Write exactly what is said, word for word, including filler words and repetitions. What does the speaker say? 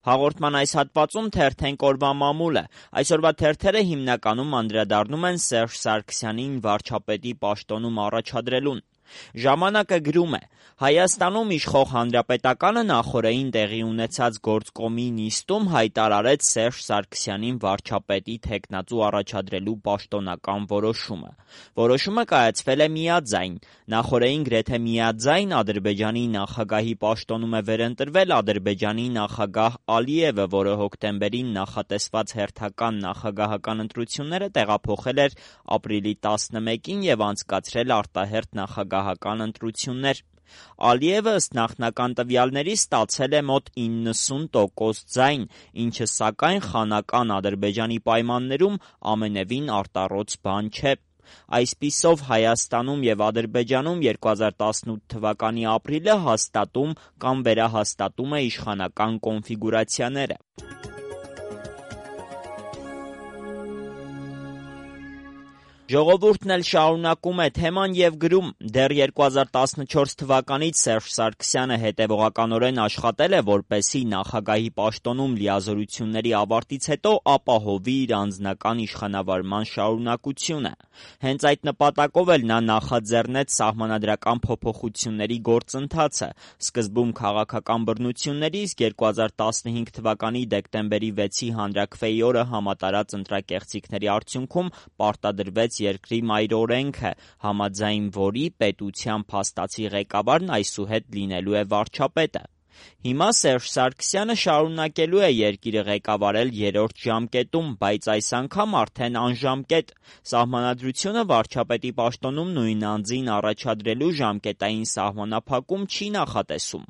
Հաղորդման այս հատվածում թերթենք օրվա մամուլը։ Այսօրվա թերթերը հիմնականում անդրադառնում են Սերժ Սարգսյանին վարչապետի պաշտոնում առաջադրելուն։ Ժամանակը գրում է. Հայաստանում իշխող Հանրապետականը նախօրեին տեղի ունեցած գործկոմի նիստում հայտարարեց Սերժ Սարգսյանին վարչապետի թեկնածու առաջադրելու պաշտոնական որոշումը։ Որոշումը կայացվել է միաձայն։ Նախօրեին գրեթե միաձայն Ադրբեջանի նախագահի պաշտոնում է վերընտրվել Ադրբեջանի նախագահ Ալիևը, որը հոկտեմբերին նախատեսված հերթական նախագահական ընտրությունները տեղափոխել էր ապրիլի տասնմեկին և անցկացրել արտահերթ նախագահական ընտրություններ։ Ալիևը ըստ նախնական տվյալների ստացել է մոտ իննսուն տոկոս ձայն, ինչը սակայն խանական Ադրբեջանի պայմաններում ամենևին արտառոց բան չէ։ Այսպիսով Հայաստանում և Ադրբեջանում երկու հազար տասնութ թվականի ապրիլը հաստատում կամ վերահաստատում է իշխանական կոնֆիգուրացիաները։ Ժողովուրդն էլ շարունակում է թեման և գրում. դեռ երկու հազար տասնչորս թվականից Սերժ Սարգսյանը հետևողականորեն աշխատել է, որպեսզի նախագահի պաշտոնում լիազորությունների ավարտից հետո ապահովի իր անձնական իշխանավարման շարունակությունը։ Հենց այդ նպատակով էլ նա նախաձեռնեց սահմանադրական փոփոխությունների գործընթացը։ Սկզբում քաղաքական բռնությունների, իսկ երկու հազար տասնհինգ թվականի դեկտեմբերի վեցի հանրաքվեի օրը համատարած ընտրակեղծիքների արդյունքում պարտադրվեց երկրի մայրօրենքը, համաձայն որի պետության փաստացի ղեկավարն այսուհետ լինելու է վարչապետը։ Հիմա Սերժ Սարգսյանը շարունակելու է երկիրը ղեկավարել երրորդ ժամկետում, բայց այս անգամ արդեն անժամկետ։ Սահմանադրությունը վարչապետի պաշտոնում նույն անձին առաջադրելու ժամկետային սահմանափակում չի նախատեսում։